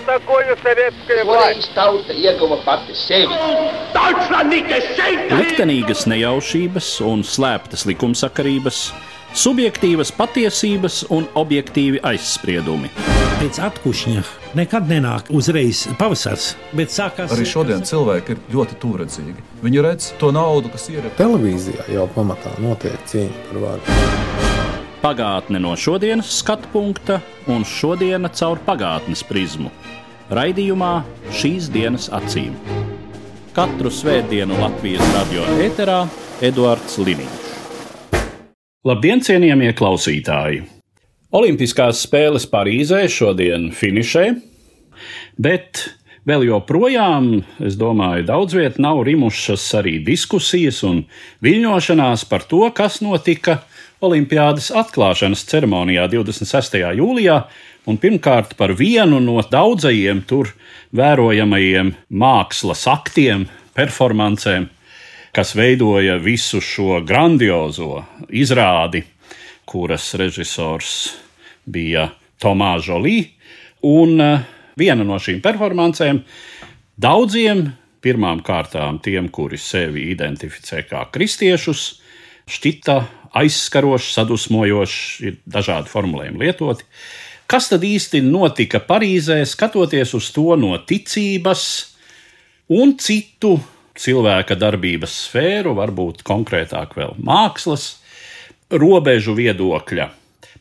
такое советская власть? Tauta ieguva pati sevi. Liktenīgas nejaušības un slēptas likumsakarības, subjektīvas patiesības un objektīvi aizspriedumi. Pēc atkušņa nekad nenāk uzreiz pavasars, bet sākās... Arī šodien cilvēki ir ļoti tūredzīgi. Viņi redz to naudu, kas ir. Televīzijā jau pamatā notiek cīņa par varu. Pagātne no šodienas skatu punkta un šodiena caur pagātnes prizmu. Raidījumā Šīs dienas acīm. Katru svētdienu Latvijas radio ēterā Eduards Liniņš. Labdien, cienījamie klausītāji! Olimpiskās spēles Parīzē šodien finišē, bet vēl joprojām, es domāju, daudz viet nav rimušas arī diskusijas un viļņošanās par to, kas notika Olimpiādas atklāšanas ceremonijā 26. jūlijā, un pirmkārt par vienu no daudzajiem tur vērojamajiem mākslas aktiem, performancēm, kas veidoja visu šo grandiozo izrādi, kuras režisors bija Tomā Žolī, un viena no šīm performancēm daudziem, pirmām kārtām tiem, kuri sevi identificē kā kristiešus, šķita aizskarošs, sadusmojošs, ir dažādi formulējumi lietoti. Kas tad īsti notika Parīzē, skatoties uz to no ticības un citu cilvēka darbības sfēru, varbūt konkrētāk vēl mākslas, robežu viedokļa?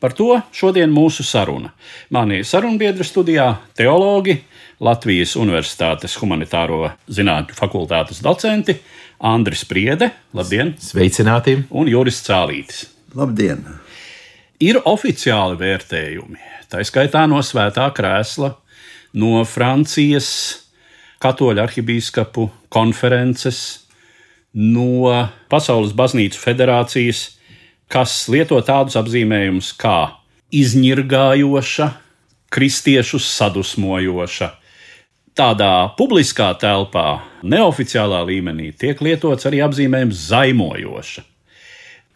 Par to šodien mūsu saruna. Mani sarunbiedri studijā teologi, Latvijas Universitātes humanitāro zinātņu fakultātes docenti Andris Priede, labdien! Sveicināti! Un Juris Cālītis. Labdien! Ir oficiāli vērtējumi, tā skaitā no Svētā krēsla, no Francijas katoļu arhibīskapu konferences, no Pasaules baznīcu federācijas, kas lieto tādus apzīmējumus kā izņirgājoša, kristiešus sadusmojoša. Tādā publiskā telpā, neoficiālā līmenī, tiek lietots arī apzīmējums zaimojoša.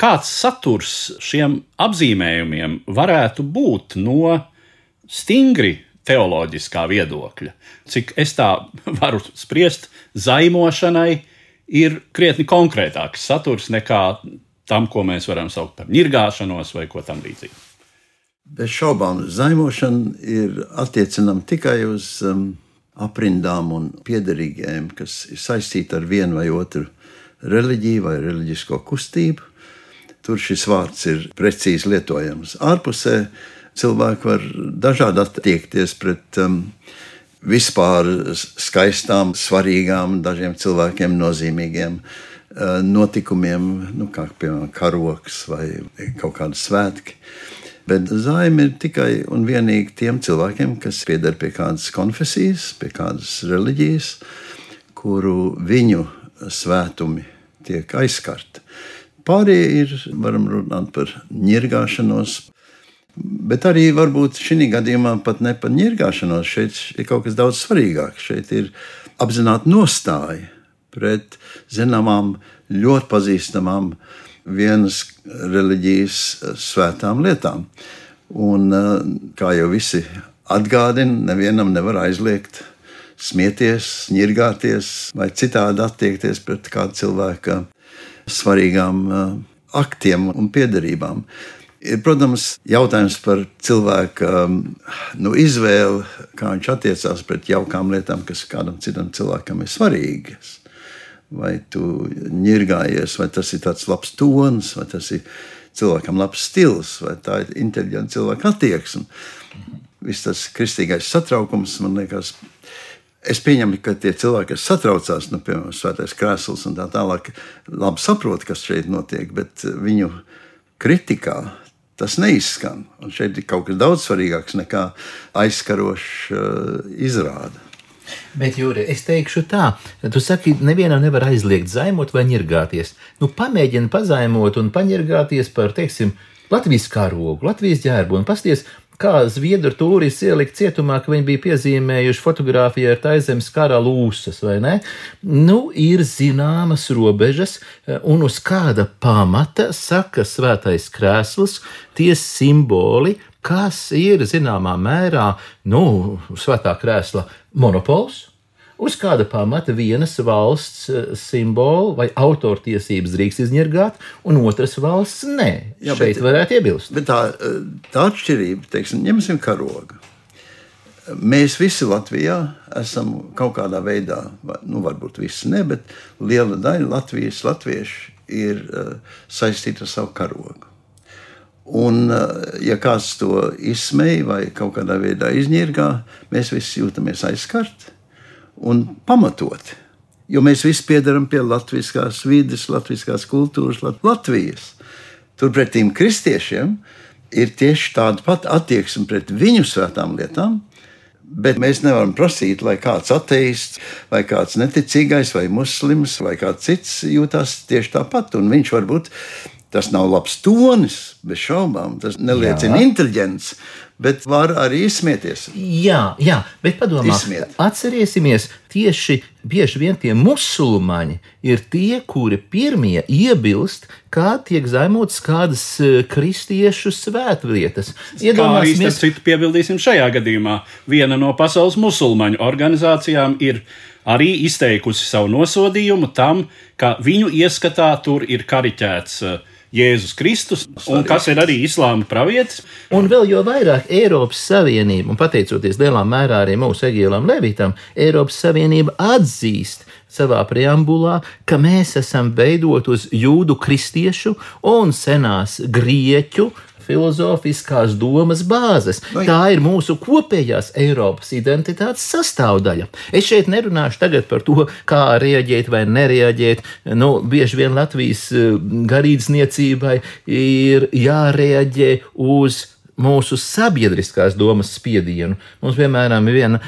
Kāds saturs šiem apzīmējumiem varētu būt no stingri teoloģiskā viedokļa? Cik es tā varu spriest, zaimošanai ir krietni konkrētāks saturs nekā tam, ko mēs varam saukt par ņirgāšanos vai ko tam līdzīgi. Bez šaubām, zaimošana ir attiecinama tikai uz aprindām un piederīgajiem, kas ir saistīti ar vienu vai otru reliģiju vai reliģisko kustību. Tur šis vārds ir precīzi lietojams. Ārpusē cilvēki var dažādi attiekties pret vispār skaistām, svarīgām, dažiem cilvēkiem nozīmīgiem notikumiem, kā piemēram karoks vai kaut kādi svētki. Bet zaime ir tikai un vienīgi tiem cilvēkiem, kas pieder pie kādas konfesijas, pie kādas reliģijas, kuru viņu svētumi tiek aizskarti. Pārējie ir, varam runāt par ņirgāšanos, bet arī varbūt šī gadījumā pat ne par ņirgāšanos. Šeit ir kaut kas daudz svarīgāk. Šeit ir apzināta nostāja pret zināmām, ļoti pazīstamām vienas reliģijas svētām lietām. Un, kā jau visi atgādina, nevienam nevar aizliegt smieties, ņirgāties vai citādi attiekties pret kādu cilvēka svarīgām aktiem un piederībām. Ir, protams, jautājums par cilvēka izvēli, kā viņš attiecās pret jaukām lietām, kas kādam citam cilvēkam ir svarīgas. Vai tu ņirgājies, vai tas ir tāds labs tons, vai tas ir cilvēkam labs stils, vai tā ir inteliģenta cilvēka attieksme. Viss tas kristīgais satraukums, man liekas, es pieņemu, ka tie cilvēki, kas satraucās, piemēram, Svētais krēsls un tā tālāk, labi saprot, kas šeit notiek, bet viņu kritikā tas neizskan. Un šeit ir kaut kas daudz svarīgāks nekā aizskarošs izrāde. Bet, Jūri, es teikšu tā, tu saki, nevienam nevar aizliegt zaimot vai ņirgāties. Pamēģini pazaimot un paņirgāties par, teiksim, Latvijas karogu, Latvijas ģērbu un pasties, kā zviedru tūristi ielikt cietumā, ka viņi bija piezīmējuši fotogrāfiju ar Taizemes kara lūsas, vai ne? Ir zināmas robežas, un uz kāda pamata saka Svētais krēsls, tie simboli, kas ir zināmā mērā, svētā krēsla monopols. Uz kāda pamata vienas valsts simbolu vai autortiesības drīkst izņirgāt, un otras valsts nē. Jā, šeit varētu iebilst. Bet tā atšķirība, teiksim, ņemsim karogu. Mēs visi Latvijā esam kaut kādā veidā, varbūt visi ne, bet liela daļa latvieši ir saistīta ar savu karogu. Un, ja kāds to izsmej vai kaut kādā veidā izņirgā, mēs visi jūtamies aizskarti. Un pamatoti, jo mēs visi piedaram pie latviskās vides, latviskās kultūras, Latvijas. Turpretīm kristiešiem ir tieši tāda pat attieksme pret viņu svētām lietām, bet mēs nevaram prasīt, lai kāds ateists, vai kāds neticīgais, vai muslims, vai kāds cits jūtās tieši tāpat. Un viņš varbūt, tas nav labs tonis, bez šaubām, tas neliecina inteliģents, bet var arī izsmieties. Jā, bet padomā, atcerēsimies, tieši bieži vien tie musulmaņi ir tie, kuri pirmie iebilst, kā tiek zaimotas kādas kristiešu svētvietas. Kā arī starp citu piebildīsim šajā gadījumā. Viena no pasaules musulmaņu organizācijām ir arī izteikusi savu nosodījumu tam, ka viņu ieskatā tur ir kariķēts Jēzus Kristus, un kas ir arī islāma pravietis. Un vēl jo vairāk Eiropas Savienība, un pateicoties lielā mērā arī mūsu Egīlam Levitam, Eiropas Savienība atzīst savā preambulā, ka mēs esam veidot uz jūdu kristiešu un senās grieķu filozofiskās domas bāzes. Tā ir mūsu kopējās Eiropas identitātes sastāvdaļa. Es šeit nerunāšu tagad par to, kā reaģēt vai nereaģēt. Bieži vien Latvijas garīdzniecībai ir jāreaģē uz mūsu sabiedriskās domas spiedienu. Mums, piemēram, ir viena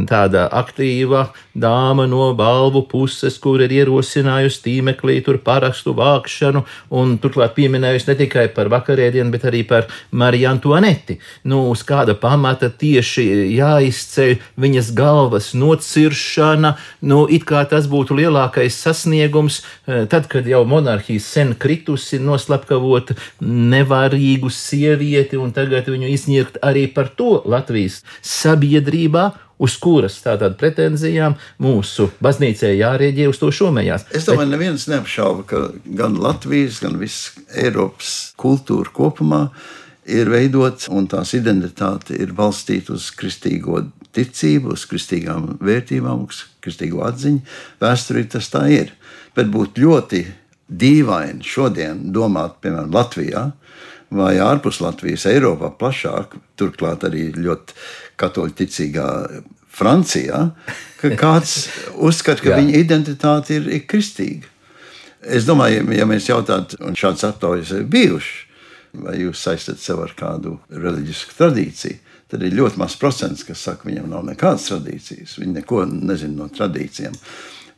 tāda aktīva dāma no balvu puses, kur ir ierosinājusi tīmeklī tur parakstu vākšanu, un turklāt pieminējusi ne tikai par vakarēdienu, bet arī par Mariju Antuaneti. Uz kāda pamata tieši jāizceļ viņas galvas nociršana, it kā tas būtu lielākais sasniegums, tad, kad jau monarhija sen kritusi, noslapkavot nevarīgu sievieti, un tagad viņu izņirgt arī par to Latvijas sabiedrībā, uz kuras tātad pretenzijām mūsu baznīcē jārēģē uz to šomējās. Es domāju, neviens neapšauba, ka gan Latvijas, gan viss Eiropas kultūra kopumā ir veidot, un tās identitāte ir balstīta uz kristīgo ticību, uz kristīgām vērtībām, uz kristīgo atziņu. Vēsturī tas tā ir. Bet būtu ļoti dīvaini šodien domāt, piemēram, Latvijā, vai ārpus Latvijas, Eiropā plašāk, turklāt arī ļoti katoļticīgā Francijā, ka kāds uzskata, ka viņa identitāte ir kristīga. Es domāju, ja mēs jautātu, un šāds aptaujas ir bijuši, vai jūs saistat sev ar kādu reliģisku tradīciju, tad ir ļoti maz procents, kas saka, viņam nav nekādas tradīcijas, viņi neko nezina no tradīcijām.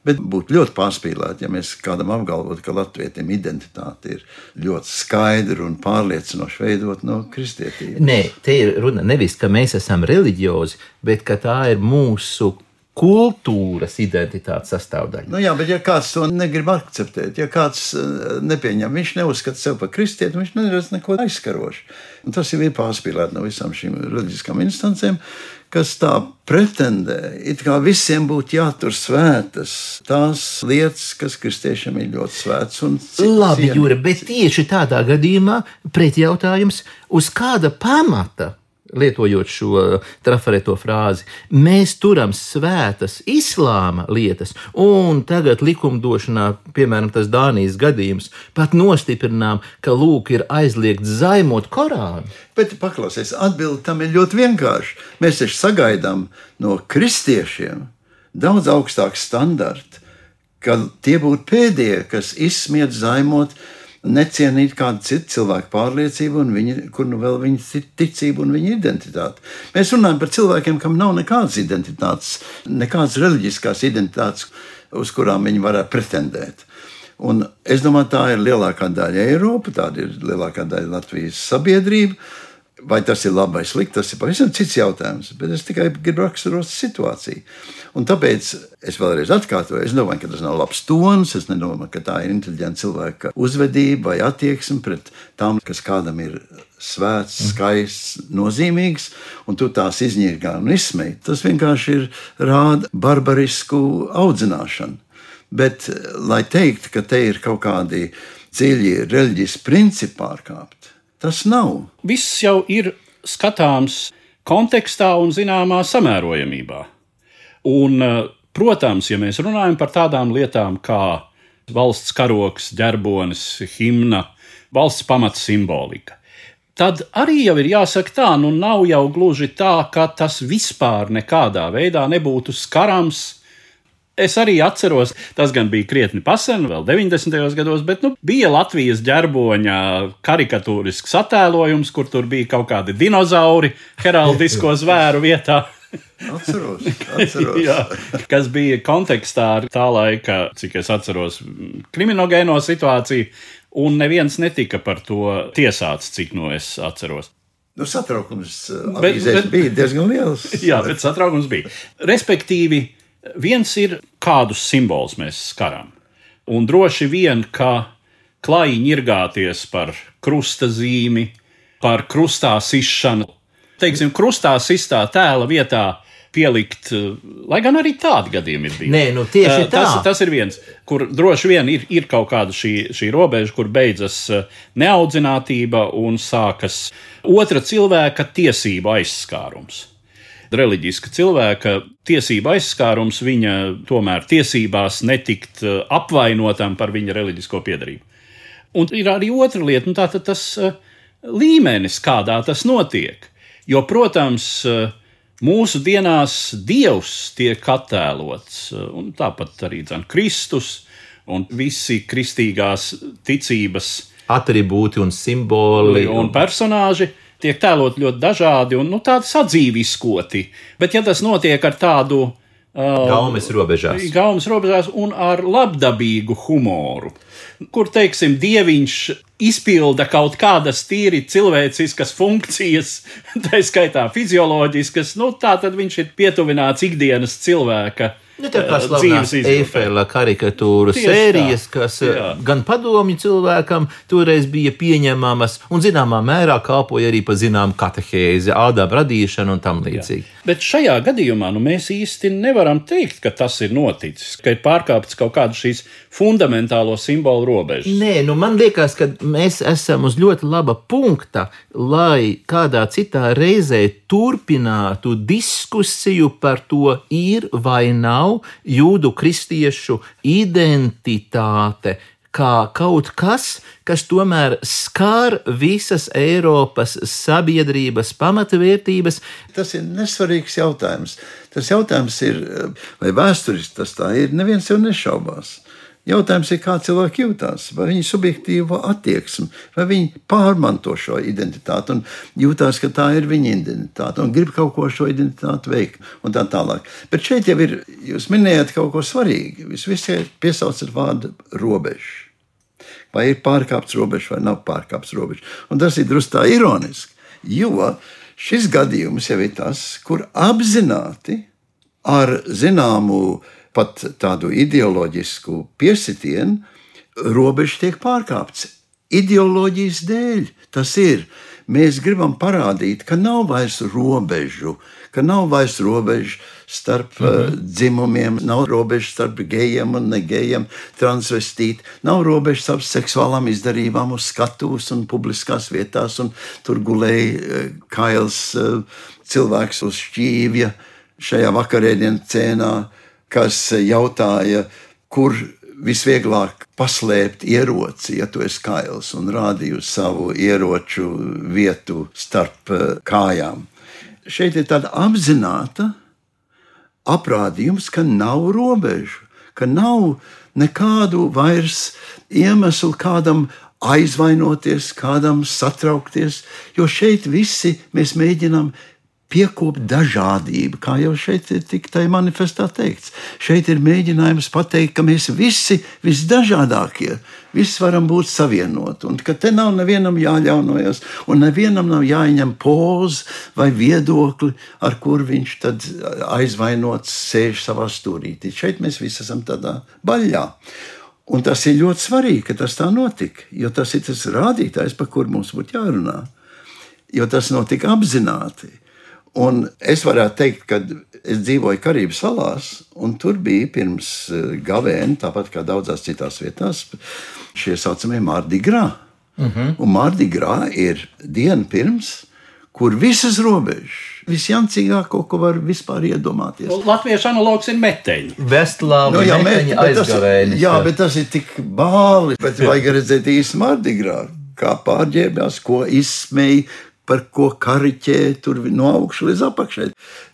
Bet būtu ļoti pārspīlēti, ja mēs kādam apgalvotu, ka latvietim identitāte ir ļoti skaidra un pārliecinoši veidot no kristietības. Nē, te ir runa nevis, ka mēs esam reliģiozi, bet ka tā ir mūsu kultūras identitātes sastāvdaļa. Jā, bet ja kāds to negrib akceptēt, ja kāds nepieņem, viņš neuzskata sev par kristieti, viņš neredz neko aizskarošu. Un tas jau ir pārspīlēti no visām šīm reliģiskām instancēm, kas tā pretendē, it kā visiem būtu jātur svētas tās lietas, kas kristiešiem ir ļoti svētas. Labi, Jūra, bet tieši tādā gadījumā pretjautājums, uz kāda pamata, lietojot šo trafareto frāzi, mēs turam svētas islāma lietas, un tagad likumdošanā, piemēram, tas Dānijas gadījums, pat nostiprinām, ka lūk ir aizliegts zaimot Korānu. Bet paklausies, atbildi tam ir ļoti vienkārši. Mēs taču sagaidām no kristiešiem daudz augstāku standartu, ka tie būtu pēdējie, kas izsmiet, zaimot, necienīt kādu citu cilvēku pārliecību, un kur nu vēl viņa ticība un viņa identitāte. Mēs runājam par cilvēkiem, kam nav nekādas identitātes, nekādas reliģiskās identitātes, uz kurām viņi varētu pretendēt. Un es domāju, tā ir lielākā daļa Eiropa, tāda ir lielākā daļa Latvijas sabiedrība. Vai tas ir labi vai slikti, tas ir pavisam cits jautājums, bet es tikai gribu raksturot situāciju. Un tāpēc es vēlreiz atkārtoju, es domāju, ka tas nav labs tons, es nedomāju, ka tā ir inteliģenta cilvēka uzvedība vai attieksme pret tām, kas kādam ir svēts, skaists, nozīmīgs, un tu tās izņirgā un izsmej. Tas vienkārši rāda barbarisku audzināšanu. Bet, lai teikt, ka te ir kaut kādi dziļi reliģiski principi pārkāpti, tas nav. Viss jau ir skatāms kontekstā un zināmā samērojamībā. Un, protams, ja mēs runājam par tādām lietām kā valsts karogs, ģerbonis, himna, valsts pamats simbolika, tad arī jau ir jāsaka tā, nu nav jau gluži tā, ka tas vispār nekādā veidā nebūtu skarams. Es arī atceros, tas gan bija krietni pasen, vēl 90. gados, bet bija Latvijas ģerboņa karikatūrisks attēlojums, kur tur bija kaut kādi dinozauri heraldisko zvēru vietā. Atceros. Jā, kas bija kontekstā ar tā laika, cik es atceros, kriminogēno situāciju, un neviens netika par to tiesāts, cik es atceros. Satraukums bija diezgan liels. Jā, bet satraukums bija. Respektīvi, viens ir, kādus simbolus mēs skaram. Un droši vien, ka klāji ņirgāties par krusta zīmi, par krustā sišanu, teiksim, krustā sistā tēla vietā pielikt, lai gan arī tādi gadījumi ir bijuši. Nē, tieši tā. Tas ir viens, kur droši vien ir kaut kāda šī robeža, kur beidzas neaudzinātība un sākas otra cilvēka tiesību aizskārums. Reliģiska cilvēka tiesība aizskārums viņa tomēr tiesībās netikt apvainotam par viņa reliģisko piedarību. Un ir arī otra lieta, tātad tas līmenis, kādā tas notiek. Jo, protams, mūsu dienās Dievs tiek attēlots, un tāpat arī Kristus un visi kristīgās ticības atribūti un simboli un personāži tiek tēlot ļoti dažādi un tādi sadzīviskoti. Bet ja tas notiek ar tādu gaumes robežās un ar labdabīgu humoru, kur, teiksim, dieviņš izpilda kaut kādas tīri cilvēciskas funkcijas, tā skaitā fizioloģiskas, tā tad viņš ir pietuvināts ikdienas cilvēka tā kā slavenās Eifela karikatūru sērijas, kas gan padomju cilvēkam toreiz bija pieņemamas un zināmā mērā kalpoja arī pa zinām katehēzi, ādām radīšanu un tam līdzīgi. Bet šajā gadījumā mēs īsti nevaram teikt, ka tas ir noticis, ka ir pārkāpts kaut kādu šīs fundamentālo simbolu robežas. Nē, man liekas, ka mēs esam uz ļoti laba punkta, lai kādā citā reizē turpinātu diskusiju par to, ir vai nav jūdu kristiešu identitāte kā kaut kas, kas tomēr skar visas Eiropas sabiedrības pamatvērtības. Tas ir nesvarīgs jautājums. Tas jautājums ir, vai vēsturiski tas tā ir, neviens jau nešaubās. Jautājums ir, kā cilvēki jūtās, vai viņi subjektīvo attieksmi, vai viņi pārmanto šo identitāti un jūtās, ka tā ir viņa identitāte un grib kaut ko šo identitāti veikt un tā tālāk. Bet šeit jau ir, jūs minējāt kaut ko svarīgi, jūs visi piesaucat vārdu robežu. Vai ir pārkāpts robežu vai nav pārkāpts robežu. Un tas ir drusku tā ironiski, jo šis gadījums jau ir tas, kur apzināti ar zināmu pat tādu ideoloģisku piesitienu, robeža tiek pārkāpts. Ideoloģijas dēļ tas ir. Mēs gribam parādīt, ka nav vairs robežu, starp dzimumiem, nav robežu starp gejiem un negejiem, transvestīti, nav robežu starp seksuālām izdarībām uz skatuves un publiskās vietās, un tur gulēja kails cilvēks uz šķīvja šajā vakarēdienas cēnā, kas jautāja, kur visvieglāk paslēpt ieroci, ja tu esi kails, un rādīja uz savu ieroču vietu starp kājām. Šeit ir tāda apzināta aprādījums, ka nav robežu, ka nav nekādu vairs iemeslu kādam aizvainoties, kādam satraukties, jo šeit visi mēs mēģinām piekopt dažādību, kā jau šeit ir tikai manifestā teikts. Šeit ir mēģinājums pateikt, ka mēs visi visdažādākie, visi varam būt savienoti, un ka te nav nevienam jāļaunojas, un nevienam nav jāņem pozu vai viedokli, ar kur viņš tad aizvainots sēž savā stūrītī. Šeit mēs visi esam tādā baļļā. Un tas ir ļoti svarīgi, ka tas tā notika, jo tas ir tas rādītājs, par kur mums būtu jārunā, jo tas notika apzināti. Un es varētu teikt, ka es dzīvoju Karību salās, un tur bija pirms gavēni, tāpat kā daudzās citās vietās, šie saucamie Mardi Gras. Un Mardi Gras ir diena pirms, kur visas robežas, visjancīgāko, ko var vispār iedomāties. Latviešu analogs ir meteņi. Vestlāvi, meteņi aizgavēnis. Jā, bet tas ir tik bāli, bet vajag redzēt īsti Mardi Gras, kā pārģērbjās, ko izsmēja, par ko kariķē tur no augšu līdz apakšai.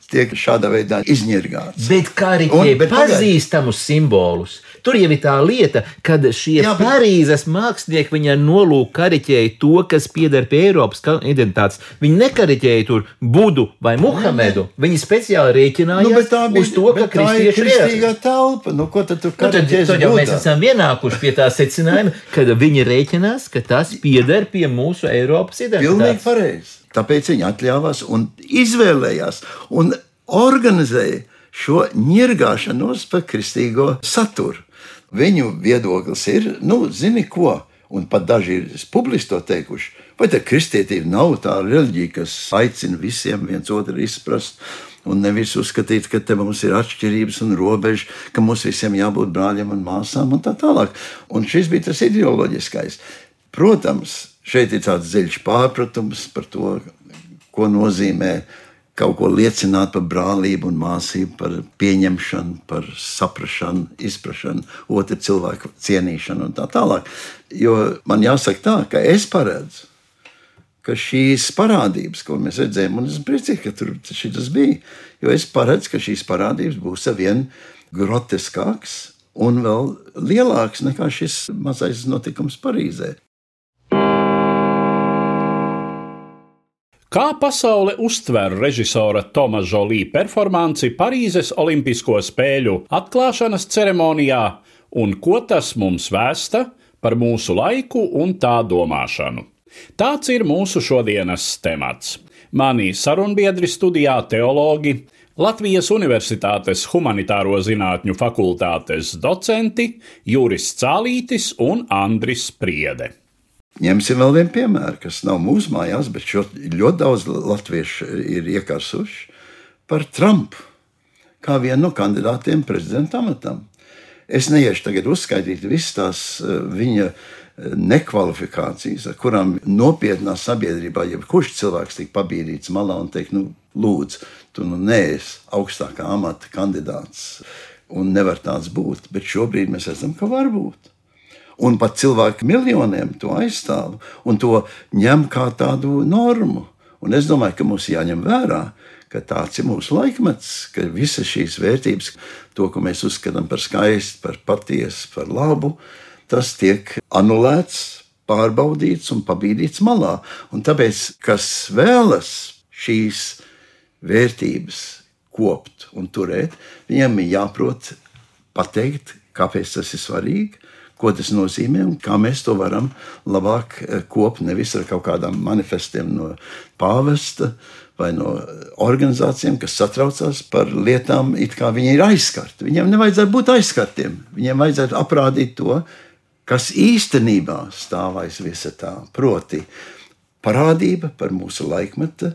Tiek šādā veidā izņirgāts. Bet kariķē pazīstamus simbolus. Tur jau ir tā lieta, kad šie Parīzes mākslinieki viņa nolūk kariķēja to, kas pieder pie Eiropas identitātes. Viņi nekariķēja tur Budu vai Muhamedu. Viņi speciāli rēķinājās uz to, ka kristieši ir kristīgā telpa. Ko tad tu kariķēs Budā? Tad jau mēs esam vienākuši pie tā secinājuma, kad viņi rēķinās, ka tas pieder pie mūsu Eiropas identitātes. Pilnīgi pareizi. Tāpēc viņi atļāvās un izvēlējās un organizēja šo ņirgāšanos par kristīgo saturu. Viņu viedoklis ir, zini ko, un pat daži ir publiski to teikuši, vai tā kristietība nav tā reliģija, kas aicina visiem viens otru izprast un nevis uzskatīt, ka te mums ir atšķirības un robežas, ka mums visiem jābūt brāļiem un māsām un tā tālāk. Un šis bija tas ideoloģiskais. Protams, šeit ir tāds dziļš pārpratums par to, ko nozīmē kaut ko liecināt par brālību un māsību, par pieņemšanu, par saprašanu, izprašanu, otru cilvēku cienīšanu un tā tālāk. Jo man jāsaka tā, ka es paredzu, ka šīs parādības, ko mēs redzējām, un es priecīgi, ka tur šitas bija, jo es paredzu, ka šīs parādības būs arvien groteskāks un vēl lielāks nekā šis mazais notikums Parīzē. Kā pasaule uztver režisora Toma Žolī performanci Parīzes Olimpisko spēļu atklāšanas ceremonijā un ko tas mums vēsta par mūsu laiku un tā domāšanu? Tāds ir mūsu šodienas temats. Mani sarunbiedri studijā teologi, Latvijas Universitātes humanitāro zinātņu fakultātes docenti Juris Cālītis un Andris Priede. Ņemsim vēl vienu piemēru, kas nav mūsu mājās, bet ļoti daudz latviešu ir iekarsuši par Trumpu, kā vienu no kandidātiem prezidenta amatam. Es neiešu tagad uzskaitīt visas tās viņa nekvalifikācijas, ar kurām nopietnā sabiedrībā jebkurš cilvēks tiek pabīdīts malā un teikt, lūdzu, tu neesi augstākā amata kandidāts un nevar tāds būt, bet šobrīd mēs redzam, ka var būt. Un pat cilvēki miljoniem to aizstāv un to ņem kā tādu normu. Un es domāju, ka mums jāņem vērā, ka tāds ir mūsu laikmets, ka visas šīs vērtības, to, ko mēs uzskatām par skaistu, par patiesu, par labu, tas tiek anulēts, pārbaudīts un pabīdīts malā. Un tāpēc, kas vēlas šīs vērtības kopt un turēt, viņiem ir jāprot pateikt, kāpēc tas ir svarīgi, ko tas nozīmē un kā mēs to varam labāk kopt, nevis ar kaut kādām manifestiem no pāvesta vai no organizācijām, kas satraucās par lietām, it kā viņi ir aizskarti. Viņiem nevajadzētu būt aizskartiem. Viņiem vajadzētu aprādīt to, kas īstenībā stāv aiz visa tā. Proti parādība par mūsu laikmeta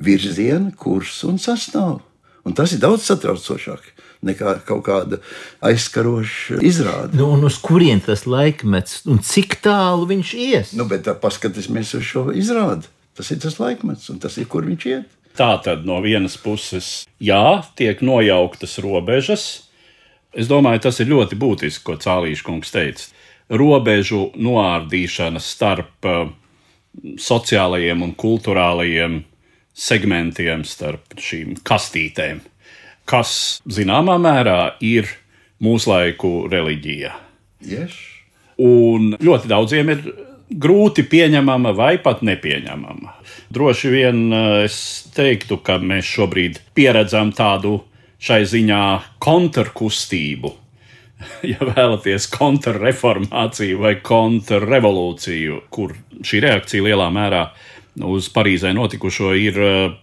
virzienu, kursu un sastāvu. Un tas ir daudz satraucošāk nekā kaut kāda aizskaroša izrāde. Un uz kurien tas laikmets un cik tālu viņš ies? Bet paskatīsimies uz šo izrādi. Tas ir tas laikmets un tas ir, kur viņš iet. Tā tad no vienas puses, tiek nojauktas robežas. Es domāju, tas ir ļoti būtiski, ko Cālīša kungs teica. Robežu noārdīšana starp sociālajiem un kulturālajiem segmentiem, starp šīm kastītēm, kas zināmā mērā ir mūslaiku reliģija. Yes. Un ļoti daudziem ir grūti pieņemama vai pat nepieņemama. Droši vien es teiktu, ka mēs šobrīd pieredzam tādu šai ziņā kontrkustību. Ja vēlaties kontrreformāciju vai kontrrevolūciju, kur šī reakcija lielā mērā uz Parīzē notikušo ir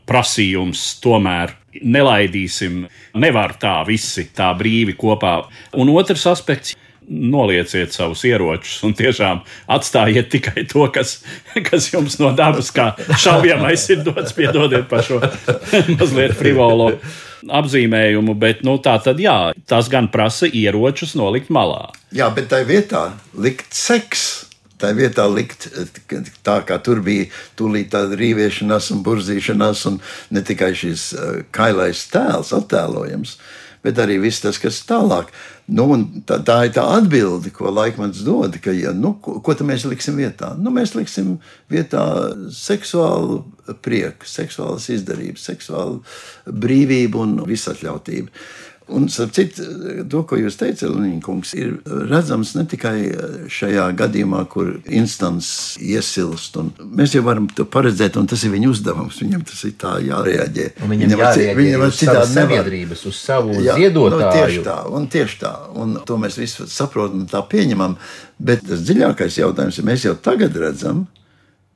prasījums tomēr nelaidīsim, nevar tā visi tā brīvi kopā. Un otrs aspekts, nolieciet savus ieročus un tiešām atstājiet tikai to, kas jums no dabas kā šaujamais ir dots, piedodiet par šo mazliet frivolo apzīmējumu, bet tā tad jā, tas gan prasa ieročus nolikt malā. Jā, bet tai vietā likt seks. Tā vietā likt tā, kā tur bija tūlīt tāda rīviešanās un burzīšanās, un ne tikai šis kailais tēls attēlojams, bet arī viss tas, kas tālāk. Tā ir tā atbilde, ko Laikmans dod, ka, ko tad mēs liksim vietā? Mēs liksim vietā seksuālu prieku, seksuālas izdarības, seksuālu brīvību un visatļautību. Un, starp citu, to, ko jūs teicat, Liniņkungs, ir redzams ne tikai šajā gadījumā, kur instants iesilst. Mēs jau varam to paredzēt, un tas ir viņa uzdevums. Viņam tas ir tā jārēģē. Viņam jārēģē uz savas sabiedrības, uz savu ziedotāju. Tieši tā. Un to mēs visi saprotam un tā pieņemam. Bet tas dziļākais jautājums ir, mēs jau tagad redzam,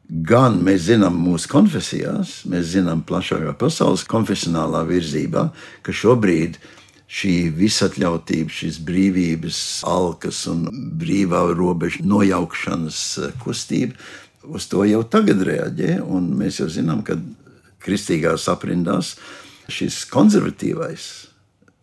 gan mēs zinām mūsu konfesijās, mēs zinām plašākā pasaules konfesionālā virzībā, ka šobrīd šī visatļautība, šīs brīvības, alkas un brīvā robeža nojaukšanas kustība, uz to jau tagad reaģē, un mēs jau zinām, ka kristīgās aprindās šis konservatīvais,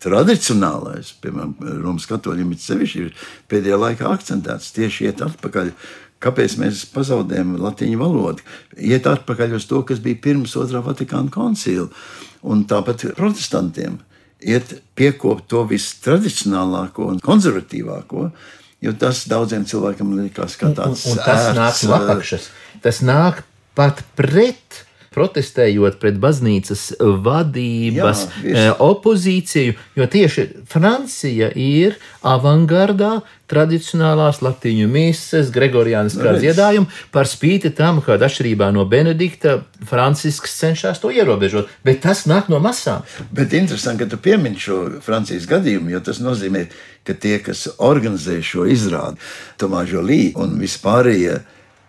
tradicionālais, piemēram, Romas katoļiem sevišķi ir pēdējā laikā akcentēts, tieši iet atpakaļ. Kāpēc mēs pazaudējam latīņu valodu? Iet atpakaļ uz to, kas bija pirms Otrā Vatikāna koncila, un tāpat protestantiem iet piekopt to vistradicionālāko un konservatīvāko, jo tas daudziem cilvēkiem likās kā tāds un tas nāk no apakšas. Tas nāk pat pret, protestējot pret baznīcas vadības opozīciju, jo tieši Francija ir avangardā tradicionālās latīņu mises, gregoriāniskā dziedājuma, par spīti tam, kad atšķirībā no Benedikta, Francisks cenšas to ierobežot, bet tas nāk no masām. Bet interesanti, ka tu piemini šo Francijas gadījumu, jo tas nozīmē, ka tie, kas organizē šo izrādi, Tomā Žolī un vispārējie,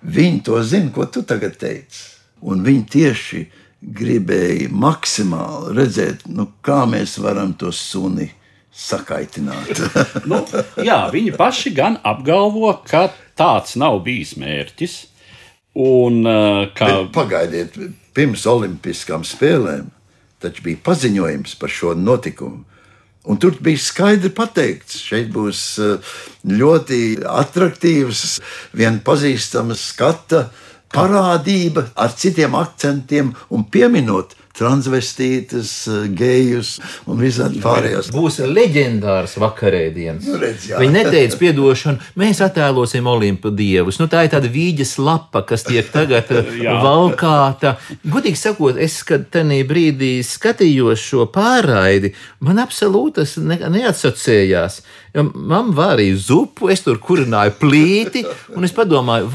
viņi to zina, ko tu tagad teici. Un viņi tieši gribēja maksimāli redzēt, kā mēs varam to suni sakaitināt. Jā, viņi paši gan apgalvo, ka tāds nav bijis mērķis. Un, Bet pagaidiet, pirms olimpiskām spēlēm taču bija paziņojums par šo notikumu. Un tur bija skaidri pateikts, šeit būs ļoti atraktīvs, vien pazīstams skata parādība ar citiem akcentiem un pieminot transvestītas, gejus un visādi pārējās. Būs leģendārs vakarēdienas. Viņi neteica piedošanu, mēs attēlosim Olimpu dievus. Tā ir tāda vīģes lapa, kas tiek tagad valkāta. Godīgi sakot, es, kad tenī brīdī skatījos šo pārraidi, man absolūti tas neatsocējās. Man vārīja zupu, es tur kurināju plīti, un es padomāju,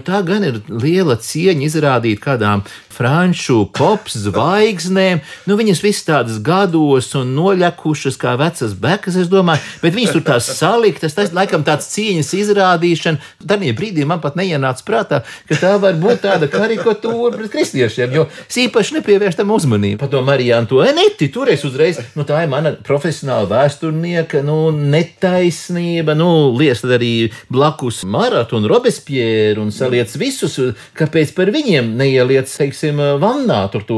tā gan ir liela cieņa izrādīt kādām franču pop zvaigznēm. Viņas viss tādas gados un noļekušas kā vecas bekas, es domāju, bet viņas tur tās saliktas, tas laikam tāds cieņas izrādīšana. Tādā brīdī man pat neienāca prātā, ka tā var būt tāda karikatūra pret kristiešiem, jo es īpaši nepievērš tam uzmanību. Padomā Marijāna to, neti, toreiz uzreiz, tā ir mana profesionāla vēsturnieka, netaisnība, liec tad arī blakus Maratu un Robespierre un saliec visus, kāpēc par viņiem neieliec, teiksim, vannā tur to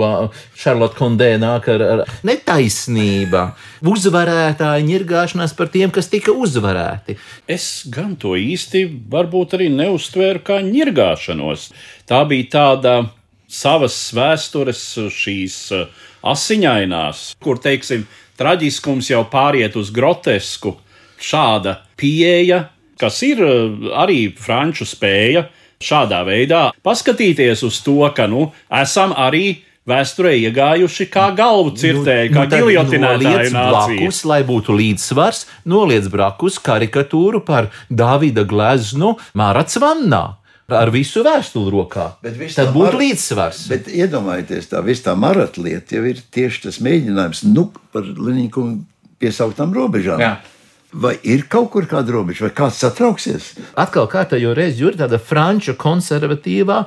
Šarlota Kondē nāk ar netaisnība. Uzvarētāji ņirgāšanās par tiem, kas tika uzvarēti. Es gan to īsti varbūt arī neuztvēru kā ņirgāšanos. Tā bija tāda savas vēstures šīs asiņainās, kur, teiksim, traģiskums jau pāriet uz grotesku. Šāda pieeja, kas ir arī franču spēja šādā veidā paskatīties uz to, ka esam arī vēsturē iegājuši kā galvu cirtēji, kā giljotinētāju nācija. Lai būtu līdzsvars, noliec brakus karikatūru par Dāvida gleznu Mārats vannā. ar visu vēstuli rokā. Tad būtu līdzsvars. Bet iedomājieties, tā maratlieta jau ir tieši tas mēģinājums, par Leņņikungu piesauktām robežām. Jā. Vai ir kaut kur kāda robeža, vai kāds satrauksies? Atkal kārtējo reizi ir tāda franču konservatīvā,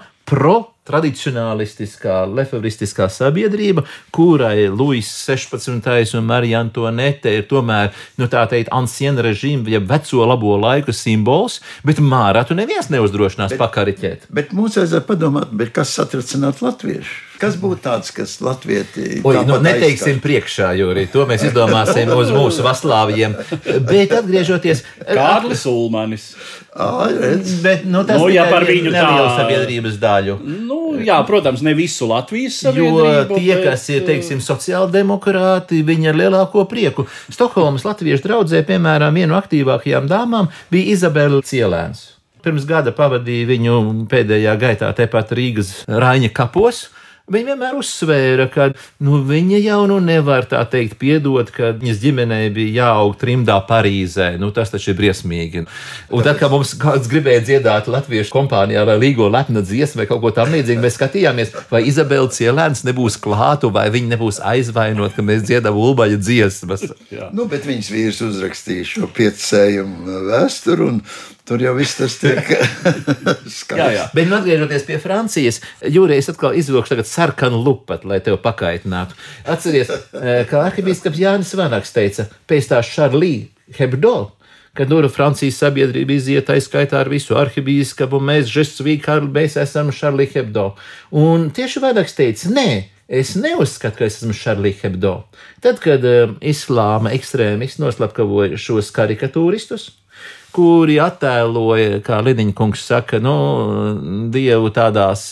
tradicionālistiskā, lefevristiskā sabiedrība, kurai Luis 16. un Marija Antoanete ir tomēr, tā teikt, anciena režīma, ja veco labo laiku simbols, bet mārā tu neviens neuzdrošinās pakariķēt. Bet mums vajadzētu padomāt, kas satricinātu latviešu? Kas būtu tāds, kas latvieti... Neteiksim priekšā, jo arī to mēs izdomāsim uz mūsu vaslāviem. Bet atgriežoties... Kārlis Ulmanis. Bet, tas par viņu nelielu sabiedrības daļu. Jā, protams, ne visu Latvijas sabiedrību. Jo tie, kas ir, teiksim, sociāldemokrāti, viņi ar lielāko prieku. Stokholmas latviešu draudzē, piemēram, vienu aktīvākajām dāmām bija Izabela Cielēns. Pirms gada pavadīja viņu pēdējā gaitā tepat Rīgas Raiņa kapos. Viņa vienmēr uzsvēra, ka viņa jau nevar tā teikt piedot, ka viņas ģimenei bija jāaug trimdā Parīzē. Tas taču ir briesmīgi. Un tad, kad mums kāds gribēja dziedāt latviešu kompānijā vai Līgo lepna dziesmu vai kaut ko tam līdzīgu, mēs skatījāmies, vai Izabela Cielēns nebūs klātu, vai viņa nebūs aizvainot, ka mēs dziedam Ulbaļa dziesmas. Bet viņas vīrs uzrakstīja šo piecējumu vēsturu, un tur jau viss tas tiek skaists. Bet atgriežoties pie Francijas, Jūrijas atkal izvilkšu tagad sarkanu lupatu, lai tev pakaitinātu. Atceries, kā arhibīskaps Jānis Vanaks teica, pēc tā Charlie Hebdo, kad Francijas sabiedrība iziet aizskaitā ar visu arhibīskapu, mēs esam Charlie Hebdo. Un tieši Vanaks teica, nē, es neuzskatu, ka es esmu Charlie Hebdo. Tad, kad islāma ekstrēmisti noslapkavoja šos karikatūristus, kuri attēloja, kā Leņņikungs saka, Dievu tādās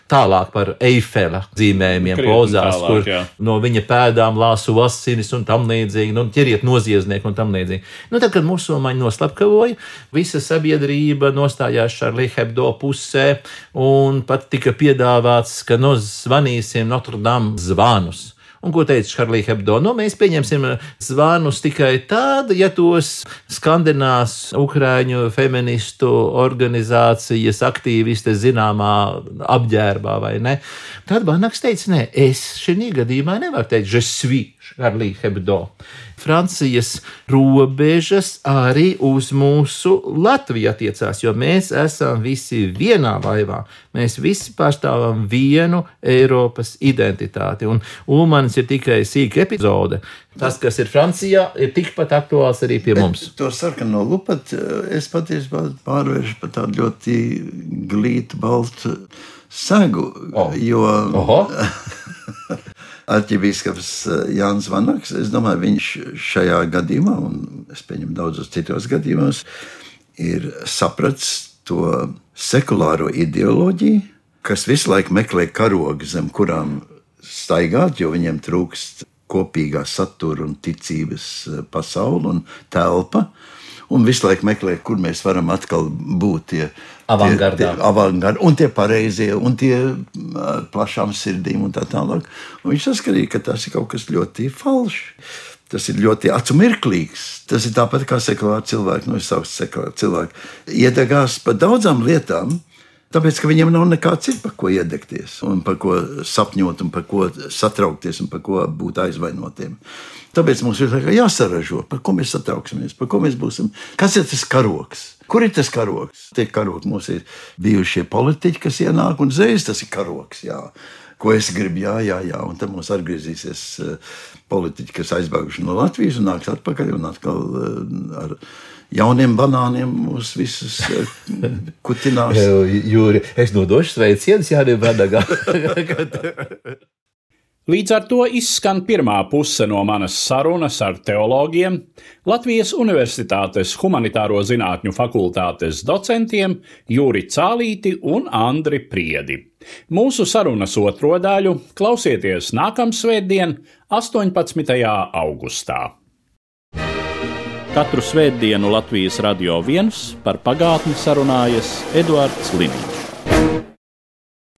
tālāk par Eifela zīmējumiem pozās, kur no viņa pēdām lāsu asinis un tam līdzīgi, ķeriet noziedznieku un tam līdzīgi. Tad, kad musulmaņi noslapkavoja, visa sabiedrība nostājās Charlie Hebdo pusē un pat tika piedāvāts, ka zvanīsim Notre Dame zvanus. Un ko teica Charlie Hebdo? Mēs pieņemsim zvanus tikai tad, ja tos skandinās Ukraiņu feministu organizācijas aktīviste zināmā apģērbā vai ne. Tad Vanaks teica, nē, es šī gadījumā nevaru teikt, je suis Charlie Hebdo. Francijas robežas arī uz mūsu Latviju attiecās, jo mēs esam visi vienā laivā. Mēs visi pārstāvam vienu Eiropas identitāti, un Ulmanis ir tikai sīka epizode. Tas, kas ir Francijā, ir tikpat aktuāls arī pie mums. To sarkano lupatu es patiesībā pārvēršu par tādu ļoti glītu, baltu segu, jo... Arķibīskaps Jānis Vanaks, es domāju, viņš šajā gadījumā, un es pieņemu daudzos citos gadījumos, ir sapratis to sekulāro ideoloģiju, kas visu laiku meklē karogu, zem kurām staigāt, jo viņiem trūkst kopīgā satura un ticības pasaule un telpa, un visu laiku meklē, kur mēs varam atkal būt tie avangardi, un tie pareizie, un tie plašām sirdīm un tā tālāk. Un viņš saskatīja, ka tas ir kaut kas ļoti falšs. Tas ir ļoti acumirklīgs. Tas ir tāpat kā sekulāri cilvēki, es sauktu sekulāri cilvēki, iedegās par daudzām lietām, tāpēc, ka viņiem nav nekā cita, par ko iedegties, un par ko sapņot, un par ko satraukties, un par ko būt aizvainotiem. Tāpēc mums ir jāsaražo, par ko mēs satrauksimies, par ko mēs būsim. Kas ir tas karoks? Kur ir tas karoks? Tie karoki mums ir bijušie politiķi, kas ienāk, un uzreiz tas ir karoks, jā. Ko es gribu, jā, un tad mums atgriezīsies politiķi, kas aizbēguši no Latvijas un nāks atpakaļ un atkal ar jauniem banāniem mūs visus kutinās. Jūri, es nodošu sveicienus Jānim Vanagam. Līdz ar to izskan pirmā puse no manas sarunas ar teologiem, Latvijas Universitātes humanitāro zinātņu fakultātes docentiem Jūri Cālīti un Andri Priedi. Mūsu sarunas otro daļu klausieties nākamsvētdien, 18. augustā. Katru svētdienu Latvijas Radio 1 par pagātni sarunājas Eduards Liniņš.